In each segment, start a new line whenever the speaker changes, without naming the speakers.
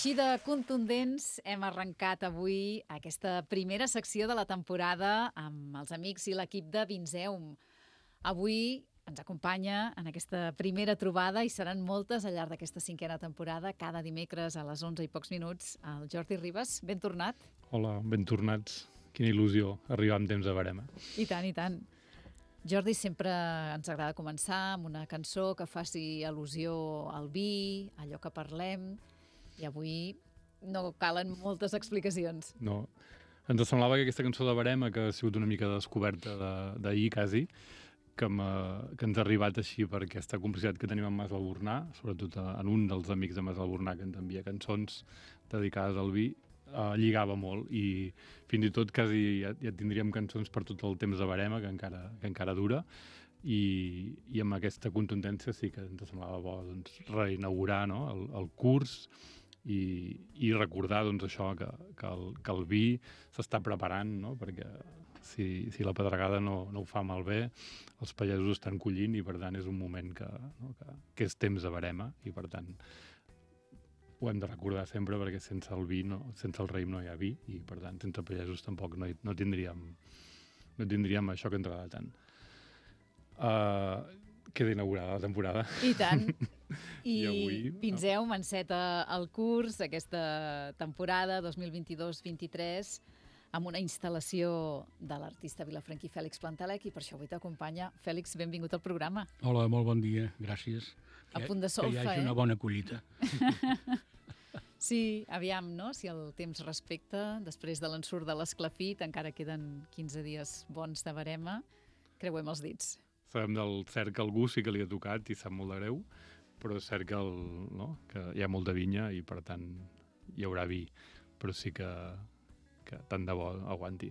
Així de contundents hem arrencat avui aquesta primera secció de la temporada amb els amics i l'equip de Vinzeum. Avui ens acompanya en aquesta primera trobada i seran moltes al llarg d'aquesta cinquena temporada, cada dimecres a les 11 i pocs minuts, el Jordi Ribas. Ben tornat.
Hola, ben tornats. Quina il·lusió arribar amb temps a Verema.
I tant, i tant. Jordi, sempre ens agrada començar amb una cançó que faci al·lusió al vi, allò que parlem, i avui no calen moltes explicacions.
No, ens semblava que aquesta cançó de Verema, que ha sigut una mica descoberta d'ahir quasi, que ens ha arribat així per aquesta complicitat que tenim amb Mas Albornà, sobretot en un dels amics de Mas Albornà que ens envia cançons dedicades al vi, lligava molt i fins i tot quasi ja tindríem cançons per tot el temps de Verema, que encara dura, i amb aquesta contundència sí que ens semblava bo doncs, reinaugurar, no? el curs i recordar doncs, això que el vi s'està preparant, no? Perquè si la pedregada no ho fa malbé, els pagesos estan collint i per tant és un moment que és temps de Verema i per tant ho hem de recordar sempre perquè sense el vi, sense el raïm no hi ha vi i per tant sense pagesos tampoc no tindríem això que ens agrada tant. Queda inaugurada la temporada.
I tant. I
avui,
Vinzeum enceta el curs aquesta temporada 2022-23 amb una instal·lació de l'artista vilafranquí Fèlix Plantalec i per això avui t'acompanya. Fèlix, benvingut al programa.
Hola, molt bon dia, gràcies.
A punt de solfa,
que hi hagi una bona collita.
Sí, aviam, no? Si el temps respecta, després de l'ensurt de l'esclafit, encara queden 15 dies bons de Verema. Creuem els dits.
Sabem del cert que algú sí que li ha tocat i sap molt de greu, però és cert que hi ha molta vinya i per tant hi haurà vi, però sí que tant de bo aguanti.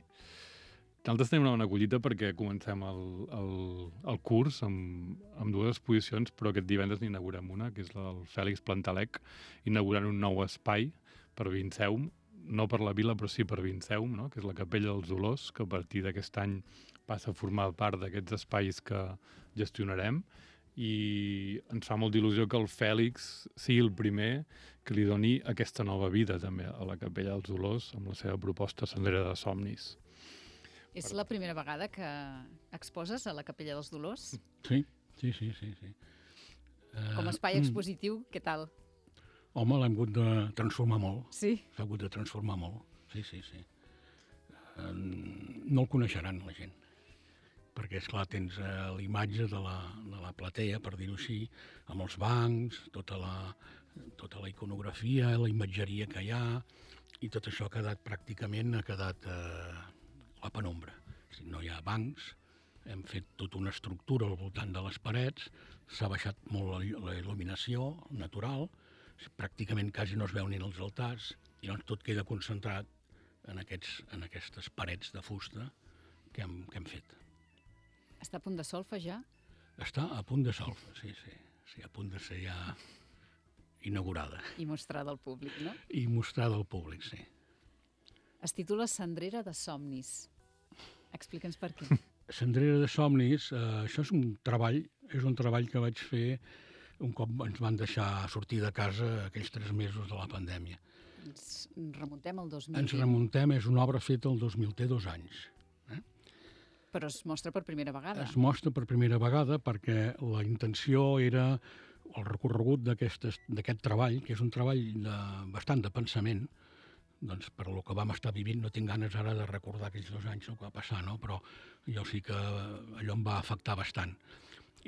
Nosaltres tenim una bona collita perquè comencem el curs amb dues exposicions, però aquest divendres n'inaugurem una, que és la del Fèlix Plantalec, inaugurant un nou espai per Vinzeum, no per la vila, però sí per Vinzeum, no? Que és la Capella dels Dolors, que a partir d'aquest any passa a formar part d'aquests espais que gestionarem, i ens fa molta il·lusió que el Fèlix sigui el primer que li doni aquesta nova vida també a la Capella dels Dolors amb la seva proposta Sendera de Somnis.
És la primera vegada que exposes a la Capella dels Dolors?
Sí.
Com a espai expositiu, què tal?
Home, l'hem hagut de transformar molt.
Sí?
S'ha hagut de transformar molt. Sí. No el coneixeran, la gent. Perquè, esclar, tens l'imatge de la platea, per dir-ho així, amb els bancs, tota la iconografia, la imatgeria que hi ha, i tot això ha quedat a la penombra. No hi ha bancs, hem fet tota una estructura al voltant de les parets, s'ha baixat molt la il·luminació natural, pràcticament quasi no es veu ni els altars, i llavors tot queda concentrat en aquestes parets de fusta que hem fet.
Està a punt de solfa ja?
Està a punt de solfa, sí, a punt de ser ja inaugurada.
I mostrada al públic, no?
I mostrada al públic, sí.
Es titula Sendrera de Somnis. Explica'ns per què.
Sendrera de Somnis, això és un treball que vaig fer un cop ens van deixar sortir de casa aquells 3 mesos de la pandèmia.
Ens remuntem al 2020.
Ens remuntem, és una obra feta el 2000, té 2 anys.
Però es mostra per primera vegada.
Es mostra per primera vegada perquè la intenció era el recorregut d'aquest treball, que és un treball bastant de pensament, doncs per lo que vam estar vivint no tinc ganes ara de recordar aquells 2 anys el que va passar, no? Però jo sí que allò em va afectar bastant.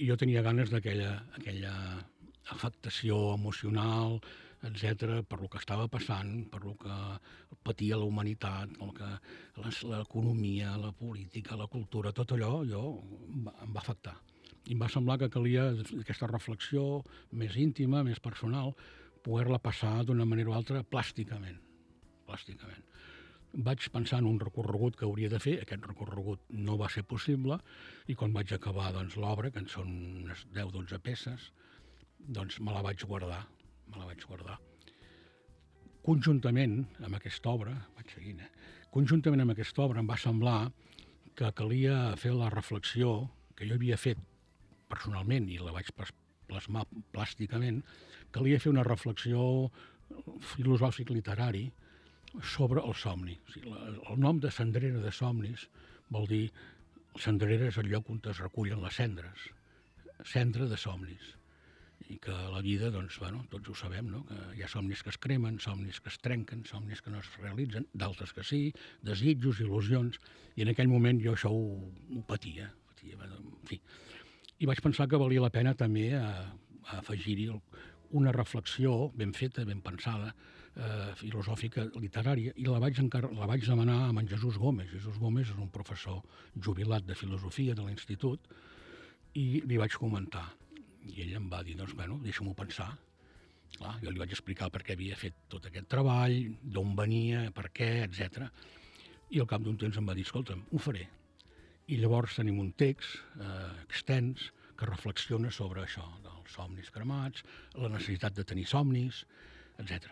I jo tenia ganes d'aquella afectació emocional, etc., per lo que estava passant, per lo que patia la humanitat, l'economia, la política, la cultura, tot allò em va afectar. I em va semblar que calia aquesta reflexió més íntima, més personal, poder-la passar d'una manera o altra plàsticament. Vaig pensar en un recorregut que hauria de fer, aquest recorregut no va ser possible, i quan vaig acabar l'obra, que en són unes 10-12 peces, doncs me la vaig guardar. Conjuntament amb aquesta obra, em va semblar que calia fer la reflexió que jo havia fet personalment i la vaig plasmar plàsticament, calia fer una reflexió filosòfic literari sobre el somni. O sigui, el nom de Cendrera de somnis vol dir... Cendrera és el lloc on es recullen les cendres. Cendra de somnis. I que la vida, doncs, bueno, tots ho sabem, no? Que hi ha somnis que es cremen, somnis que es trenquen, somnis que no es realitzen, d'altres que sí, desitjos, il·lusions, i en aquell moment jo això ho patia, en fi. I vaig pensar que valia la pena també afegir-hi una reflexió ben feta, ben pensada, filosòfica, literària, i la vaig demanar a en Jesús Gómez. Jesús Gómez és un professor jubilat de filosofia de l'institut, i li vaig comentar. I ell em va dir, doncs, bueno, deixa-m'ho pensar. Clar, jo li vaig explicar per què havia fet tot aquest treball, d'on venia, per què, etc. I al cap d'un temps em va dir, escolta'm, ho faré. I llavors tenim un text extens que reflexiona sobre això, dels somnis cremats, la necessitat de tenir somnis, etc.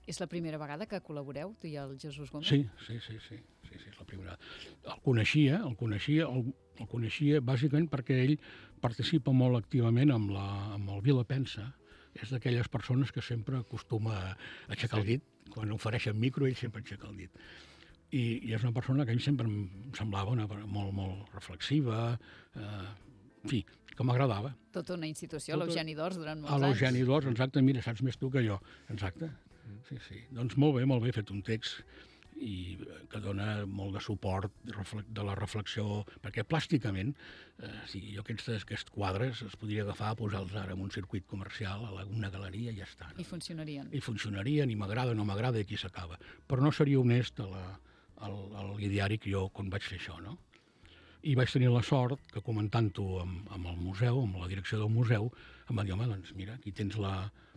És la primera vegada que col·laboreu, tu i el Jesús Gómez?
Sí, és la primera. El coneixia bàsicament perquè ell participa molt activament amb el Vila Pensa. És d'aquelles persones que sempre acostuma a aixecar el dit. Quan ofereixen micro, ell sempre aixeca el dit. I és una persona que a mi sempre em semblava molt reflexiva, en fi, que m'agradava.
Tota una institució, l'Eugeni d'Ors, durant molts anys.
A l'Eugeni d'Ors, exacte, mira, saps més tu que jo. Exacte. Sí. Doncs molt bé, he fet un text i que dona molt de suport de la reflexió, perquè plàsticament, jo aquests quadres els podria agafar, posar-los ara en un circuit comercial, a una galeria, i ja està.
I funcionarien.
I funcionarien, i m'agrada, no m'agrada, i aquí s'acaba. Però no seria honest al ideari que jo quan vaig fer això, no? I vaig tenir la sort que, comentant-ho amb el museu, amb la direcció del museu, em van dir, home, doncs mira, aquí tens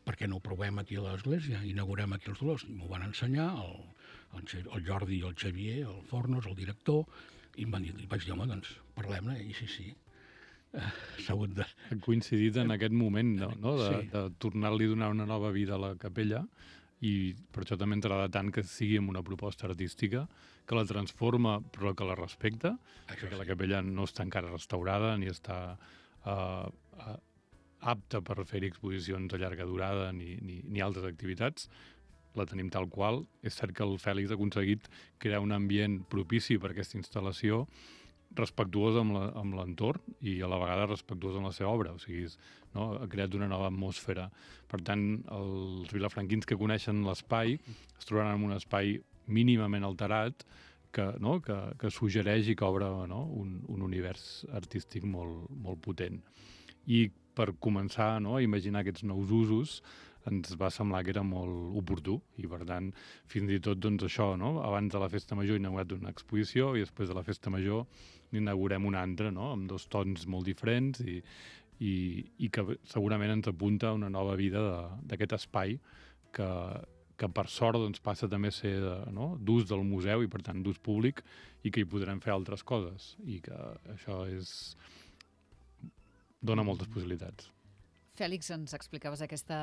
per què no ho provem aquí a l'església? Inaugurem aquí els Dolors. I m'ho van ensenyar el Jordi i el Xavier, el Fornos, el director, i em van dir, vaig dir, home, doncs parlem-ne, i sí. S'ha hagut de...
Ha coincidit en aquest moment, no? De tornar-li a donar una nova vida a la capella, i per això també ens agrada tant que sigui amb una proposta artística que la transforma però que la respecta, perquè la capella no està encara restaurada ni està apta per fer-hi exposicions a llarga durada ni altres activitats. La tenim tal qual. És cert que el Fèlix ha aconseguit crear un ambient propici per a aquesta instal·lació, respectuós amb l'entorn i a la vegada respectuós amb la seva obra. O sigui, ha creat una nova atmosfera. Per tant, els vilafranquins que coneixen l'espai es trobaran en un espai mínimament alterat que suggereix i que obre un univers artístic molt potent. I per començar a imaginar aquests nous usos ens va semblar que era molt oportú i, per tant, fins i tot això, abans de la Festa Major hem inaugurat una exposició i després de la Festa Major n'inaugurem una altra, amb dos tons molt diferents i que segurament ens apunta a una nova vida d'aquest espai que per sort passa també a ser d'ús del museu i, per tant, d'ús públic, i que hi podrem fer altres coses, i que això dona moltes possibilitats.
Fèlix, ens explicaves aquesta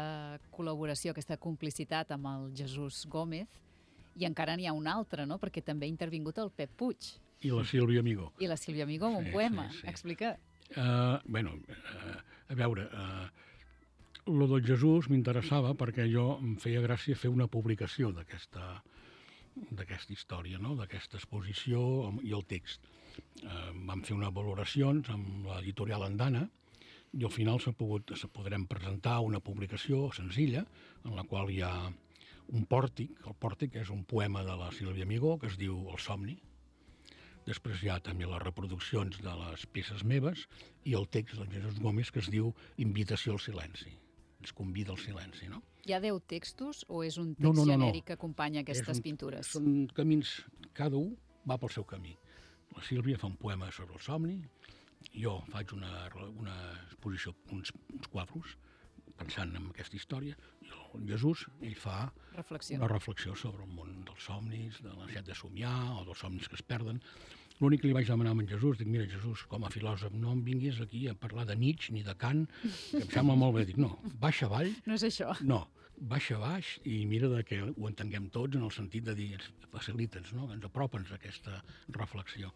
col·laboració, aquesta complicitat amb el Jesús Gómez, i encara n'hi ha una altra, no? Perquè també ha intervingut el Pep Puig.
I la Sílvia Amigó.
I la Sílvia Amigó amb un poema. Sí. Explica.
A veure, lo del Jesús m'interessava perquè em feia gràcia fer una publicació d'aquesta història, d'aquesta exposició i el text. Vam fer unes valoracions amb l'editorial Andana, i al final podrem presentar una publicació senzilla en la qual hi ha un pòrtic. El pòrtic és un poema de la Sílvia Amigó que es diu El somni. Després hi ha també les reproduccions de les peces meves i el text del Jesús Gómez que es diu Invitació al silenci. Ens convida al silenci, no?
Hi ha 10 textos o és un text genèric que acompanya aquestes pintures?
Són camins, cada un va pel seu camí. La Sílvia fa un poema sobre el somni, jo faig una exposició, uns quadros, pensant en aquesta història, i el Jesús, ell fa una reflexió sobre el món dels somnis, de la necessitat de somiar, o dels somnis que es perden. L'únic que li vaig demanar a en Jesús, dic, mira, Jesús, com a filòsof, no em vinguis aquí a parlar de Nietzsche ni de Kant, que em sembla molt bé. Dic, no, baixa avall.
No és això.
No, baixa baix i mira que ho entenguem tots en el sentit de dir, facilita'ns, ens apropa'ns a aquesta reflexió.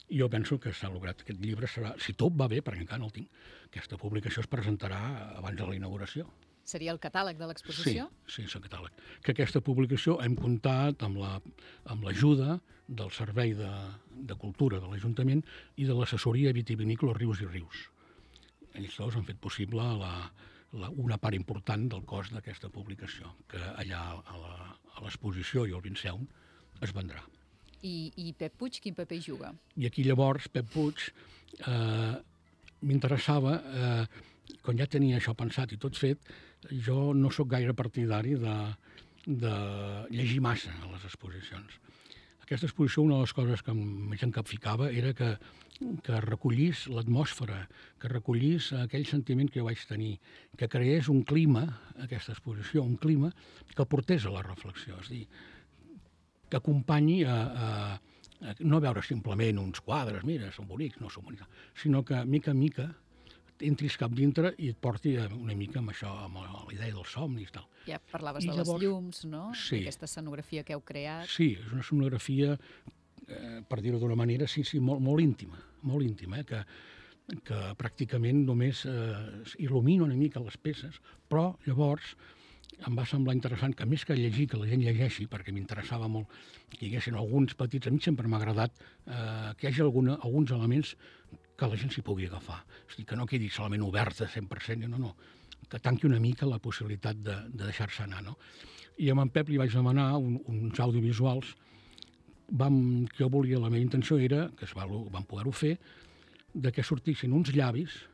I jo penso que s'ha lograt. Aquest llibre serà, si tot va bé, perquè encara no el tinc, aquesta publicació es presentarà abans de la inauguració.
Seria el catàleg de l'exposició?
Sí, és el catàleg. Que aquesta publicació hem comptat amb l'ajuda del Servei de Cultura de l'Ajuntament i de l'assessoria vitivinícola Rius i Rius. Ells dos han fet possible una part important del cost d'aquesta publicació, que allà a l'exposició i al Vinceum es vendrà.
I Pep Puig, quin paper hi juga?
I aquí llavors Pep Puig m'interessava, quan ja tenia això pensat i tot fet, jo no sóc gaire partidari de llegir massa a les exposicions. Aquesta exposició, una de les coses que més em capficava era que recollís l'atmosfera, que recollís aquell sentiment que jo vaig tenir, que creés un clima, aquesta exposició, un clima que portés a la reflexió, és a dir, que acompanyi a no veure simplement uns quadres, mira, són bonics, no són bonics, sinó que, mica en mica, entris cap dintre i et porti una mica amb això, amb la idea dels somnis i tal.
Ja parlaves de les llums, no?
Sí.
Aquesta escenografia que heu creat.
Sí, és una escenografia, per dir-ho d'una manera, sí, molt íntima, que pràcticament només il·lumina una mica les peces, però llavors em va semblar interessant que més que llegir, que la gent llegeixi, perquè m'interessava molt que hi haguessin alguns petits, a mi sempre m'ha agradat que hi hagi alguns elements que la gent s'hi pugui agafar. És a dir, que no quedi solament oberta 100%, no, que tanqui una mica la possibilitat de deixar-se anar, no? I amb en Pep li vaig demanar uns audiovisuals que jo volia, la meva intenció era, que vam poder-ho fer, de que sortissin uns llavis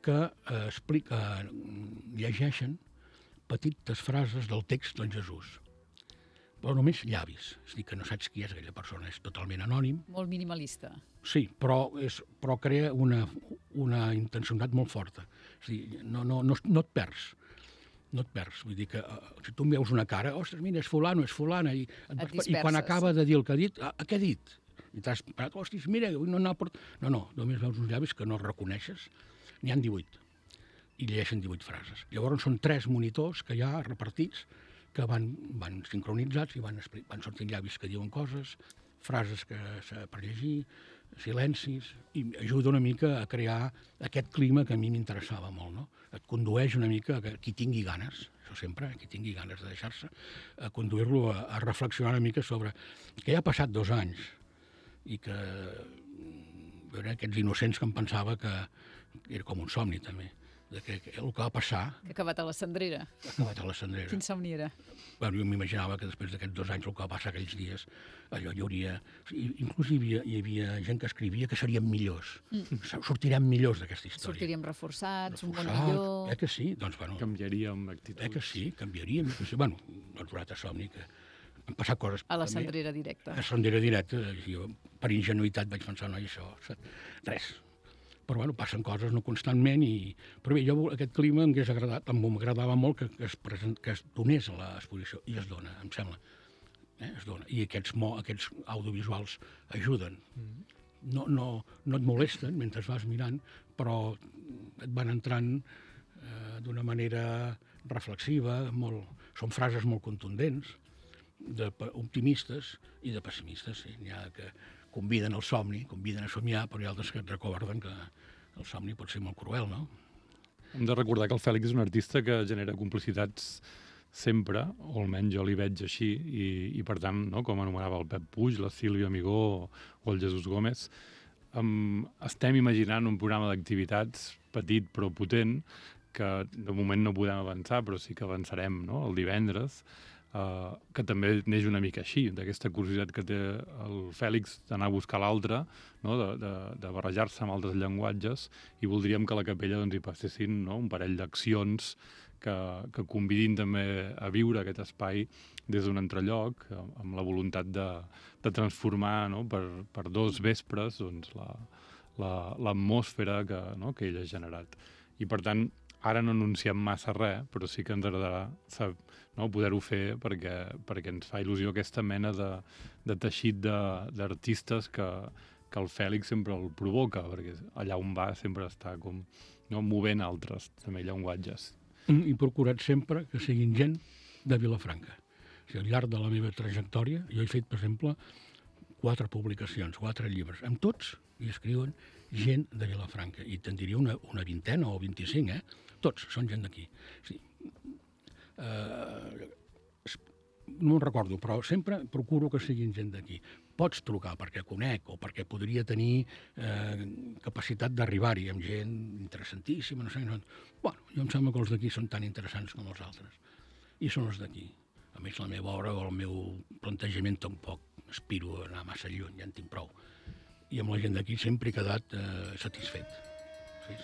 que llegeixen petites frases del text del Jesús. Però només llavis. És a dir, que no saps qui és aquella persona, és totalment anònim.
Molt minimalista.
Sí, però crea una intencionalitat molt forta. És a dir, no et perds. No et perds. Vull dir que si tu em veus una cara, ostres, mira, és fulano, és fulana, i quan acaba de dir el que ha dit, què ha dit? I t'has parat, ostres, mira, no, només veus uns llavis que no reconeixes. N'hi ha 18. I llegeixen 18 frases. Llavors són 3 monitors que hi ha repartits que van sincronitzats i van sortint llavis que diuen coses, frases per llegir, silencis, i ajuda una mica a crear aquest clima que a mi m'interessava molt, no? Et condueix una mica a qui tingui ganes, això sempre, qui tingui ganes de deixar-se, a conduir-lo a reflexionar una mica sobre que ja ha passat 2 anys i que veure aquests innocents que em pensava que era com un somni també, que el que va passar...
Que ha acabat a la cendrera.
Ha acabat a la cendrera.
Quin somni era?
Bueno, jo m'imaginava que després d'aquests 2 anys el que va passar aquells dies, allò hi hauria... Inclús hi havia gent que escrivia que serien millors. Sortirem millors d'aquesta història.
Sortiríem reforçats, un món millor...
Que sí? Doncs, bueno...
Canviaríem actituds.
Que sí, canviaríem. Bueno, no he trobat a somni que han passat coses...
A la cendrera directa.
A la cendrera directa. Jo, per ingenuïtat, vaig pensar, no, i això... Res. Però, bueno, passen coses no constantment Però bé, jo aquest clima m'agradava molt que es donés a l'exposició, i es dona, em sembla. Es dona. I aquests audiovisuals ajuden. No et molesten mentre vas mirant, però et van entrant d'una manera reflexiva, són frases molt contundents, optimistes i de pessimistes. Sí. N'hi ha que conviden al somni, conviden a somiar, però hi ha altres que et recorden que el somni pot ser molt cruel, no?
Hem de recordar que el Fèlix és un artista que genera complicitats sempre, o almenys jo li veig així, i per tant, no, com anomenava el Pep Puig, la Sílvia Amigó o el Jesús Gómez, estem imaginant un programa d'activitats petit però potent, que de moment no podem avançar, però sí que avançarem, no?, el divendres, que també neix una mica així, d'aquesta curiositat que té el Fèlix d'anar a buscar l'altre, no? de barrejar-se amb altres llenguatges, i voldríem que a la capella doncs, hi passessin, no? Un parell d'accions que convidin també a viure aquest espai des d'un altre lloc, amb la voluntat de transformar, no? per 2 vespres doncs, l'atmosfera que ell ha generat. I per tant, ara no anunciem massa res, però sí que ens agradarà poder-ho fer perquè ens fa il·lusió aquesta mena de teixit d'artistes que el Fèlix sempre el provoca, perquè allà on va sempre està com movent altres també llenguatges.
I procurat sempre que siguin gent de Vilafranca. O sigui, al llarg de la meva trajectòria, jo he fet, per exemple, 4 publicacions, 4 llibres. Amb tots hi escriuen gent de Vilafranca. I te'n diria una vintena o 25, Tots són gent d'aquí. Sí. No me'n recordo, però sempre procuro que siguin gent d'aquí. Pots trucar perquè conec o perquè podria tenir capacitat d'arribar-hi amb gent interessantíssima, no sé. Bueno, jo em sembla que els d'aquí són tan interessants com els altres. I són els d'aquí. A més, la meva obra o el meu plantejament tampoc aspiro a anar massa lluny, ja en tinc prou. I amb la gent d'aquí sempre he quedat satisfet. Sí.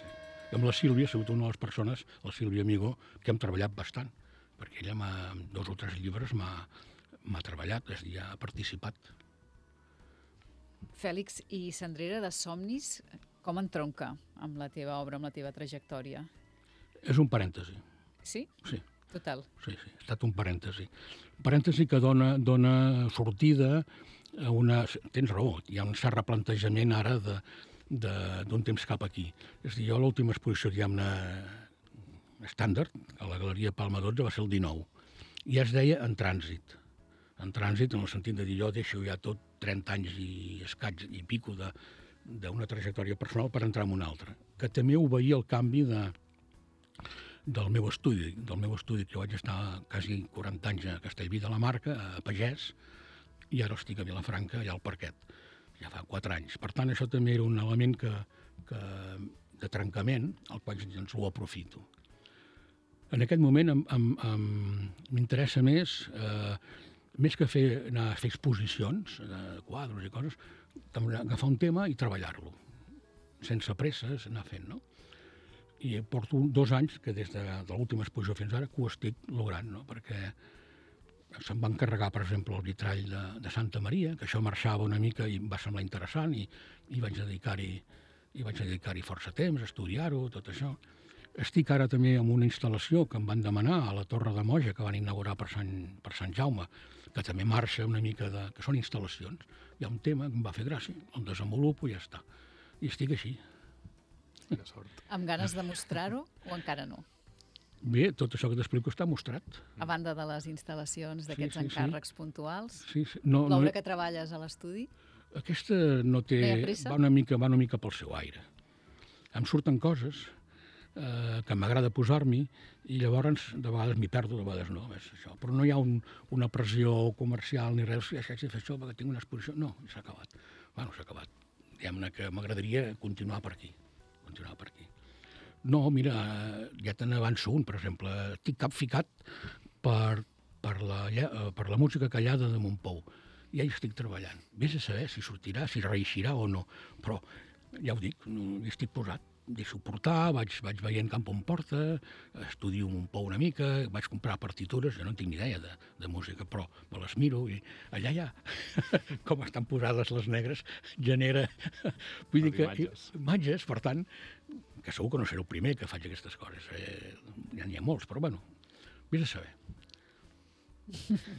I amb la Sílvia ha sigut una de les persones, la Sílvia Amigo, que hem treballat bastant, perquè ella amb 2 o 3 llibres m'ha treballat, és a dir, ha participat.
Fèlix, i Cendrera de somnis, com entronca amb la teva obra, amb la teva trajectòria?
És un parèntesi.
Sí?
Sí.
Total.
Sí, ha estat un parèntesi. Un parèntesi que dona sortida a una... Tens raó, hi ha un cert replantejament ara d'un temps cap aquí. És a dir, jo l'última exposició, diguem-ne, estàndard, a la Galeria Palma 12, va ser el 19. I ja es deia en trànsit. En trànsit, en el sentit de dir, jo deixo ja tot 30 anys i escaig i pico d'una trajectòria personal per entrar en una altra. Que també obeïa el canvi del meu estudi, que vaig estar quasi 40 anys a Castellví de la Marca, a Pagès, i ara estic a Vilafranca, allà al Parquet. Ja fa 4 anys. Per tant, això també era un element de trencament, al qual doncs ho aprofito. En aquest moment m'interessa més que anar a fer exposicions de quadres i coses, agafar un tema i treballar-lo, sense presses, anar fent, no? I porto 2 anys, que des de l'última exposició fins ara, que ho estic logrant, no? Perquè se'm va encarregar, per exemple, el vitrall de Santa Maria, que això marxava una mica i em va semblar interessant, i vaig dedicar-hi força temps, a estudiar-ho, tot això. Estic ara també amb una instal·lació que em van demanar a la Torre de Moja, que van inaugurar per Sant Jaume, que també marxa una mica que són instal·lacions. Hi ha un tema que em va fer gràcia, el desenvolupo i ja està. I estic així.
De sort.
Amb ganes de mostrar-ho o encara no?
Bé, tot això que t'explico està mostrat.
A banda de les instal·lacions d'aquests encàrrecs puntuals,
Sí.
l'obra que treballes a l'estudi?
Aquesta no té...
No hi ha pressa?
Va una mica pel seu aire. Em surten coses que m'agrada posar-m'hi i llavors de vegades m'hi perdo, de vegades no. És això. Però no hi ha una pressió comercial ni res, haig de fer això perquè tinc una exposició. No, s'ha acabat. Bueno, s'ha acabat. Diguem-ne que m'agradaria continuar per aquí. No, mira, ja te n'avanço un, per exemple. Estic capficat per la música callada de Montpou. Ja hi estic treballant. Vés a saber si sortirà, si reeixirà o no. Però, ja ho dic, hi estic posat. Deixo portar, vaig veient cap on porta, estudio Montpou una mica, vaig comprar partitures, jo no en tinc ni idea de música, però me les miro i allà ja, com estan posades les negres, genera... Vull dir que imatges, per tant, que segur que no seré el primer que faig aquestes coses. Ja n'hi ha molts, però bueno, vés a saber.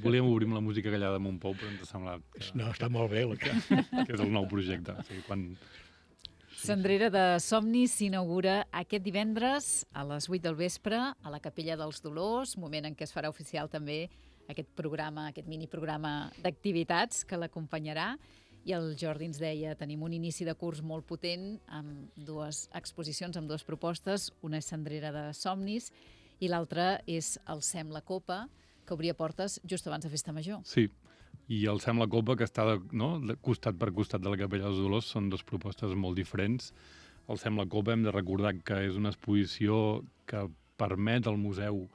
Volíem obrir amb la música callada de Montpou, però ens ha semblat que...
No, està molt bé.
Que és el nou projecte. O sigui, quan...
Cendrera de somnis s'inaugura aquest divendres a les 8 del vespre a la Capella dels Dolors, moment en què es farà oficial també aquest programa, aquest miniprograma d'activitats que l'acompanyarà. I el Jordi ens deia, tenim un inici de curs molt potent amb 2 exposicions, amb 2 propostes. Una és Cendrera de somnis i l'altra és el Sembla Copa, que obria portes just abans de Festa Major.
Sí, i el Sembla Copa, que està de costat per costat de la Capella dels Dolors, són 2 propostes molt diferents. El Sembla Copa hem de recordar que és una exposició que permet al museu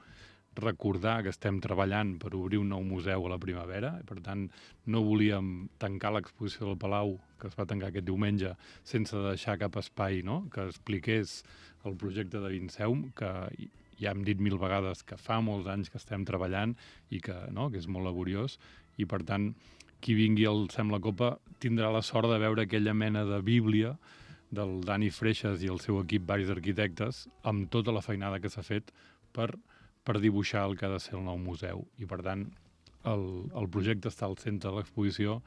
recordar que estem treballant per obrir un nou museu a la primavera. Per tant, no volíem tancar l'exposició del Palau, que es va tancar aquest diumenge, sense deixar cap espai, no?, que expliqués el projecte de Vinceum, que ja hem dit 1000 vegades que fa molts anys que estem treballant i que és molt laboriós. I, per tant, qui vingui al Sembla Copa tindrà la sort de veure aquella mena de bíblia del Dani Freixas i el seu equip, varis arquitectes, amb tota la feinada que s'ha fet per dibuixar el que ha de ser el nou museu. I, per tant, el projecte està al centre de l'exposició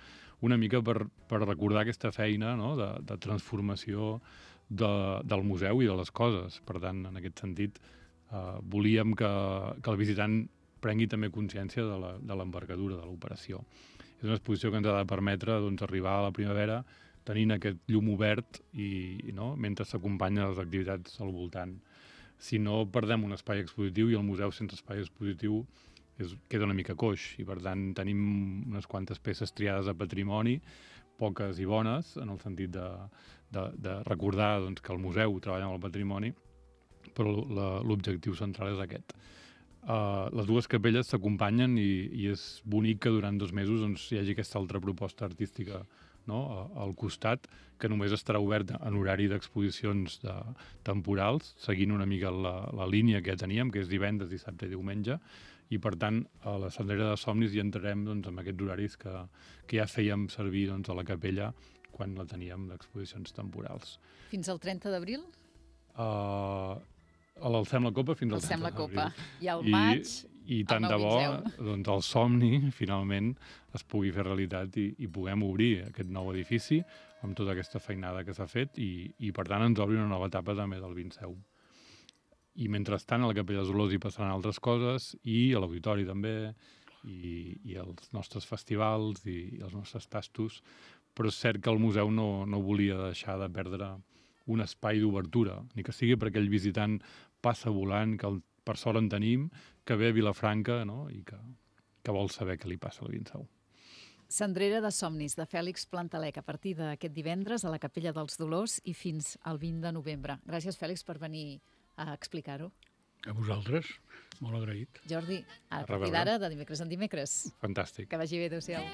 una mica per recordar aquesta feina, no?, de transformació del museu i de les coses. Per tant, en aquest sentit, volíem que el visitant prengui també consciència de l'envergadura de l'operació. És una exposició que ens ha de permetre arribar a la primavera tenint aquest llum obert i no? Mentre s'acompanyen les activitats al voltant. Si no, perdem un espai expositiu i el museu sense espai expositiu queda una mica coix i, per tant, tenim unes quantes peces triades a patrimoni, poques i bones, en el sentit de recordar doncs, que el museu treballa amb el patrimoni, però l'objectiu central és aquest. Les dues capelles s'acompanyen i és bonic que durant 2 mesos doncs, hi hagi aquesta altra proposta artística, no? Al costat, que només estarà oberta en horari d'exposicions temporals, seguint una mica la línia que ja teníem, que és divendres, dissabte i diumenge, i per tant a la Cendrera de Somnis hi entrarem doncs, amb aquests horaris que ja fèiem servir doncs, a la capella quan la teníem d'exposicions temporals.
Fins al 30 d'abril?
L'Alcem la Copa fins al 30
Alcem la
d'abril.
Copa. I al maig,
I tant de bo doncs, el somni finalment es pugui fer realitat i puguem obrir aquest nou edifici amb tota aquesta feinada que s'ha fet i per tant ens obri una nova etapa també del Vinseu. I mentrestant a la Capella dels Olors hi passaran altres coses i a l'auditori també i als nostres festivals i als nostres tastos, però és cert que el museu no volia deixar de perdre un espai d'obertura, ni que sigui perquè el visitant passa volant, que per sort en tenim, que ve a Vilafranca, no? I que vol saber què li passa al Vinseu.
Cendrera de Somnis, de Fèlix Plantalec, a partir d'aquest divendres a la Capella dels Dolors i fins al 20 de novembre. Gràcies, Fèlix, per venir a explicar-ho.
A vosaltres, molt agraït.
Jordi, a partir d'ara, de dimecres en dimecres.
Fantàstic.
Que vagi bé, adéu-siau.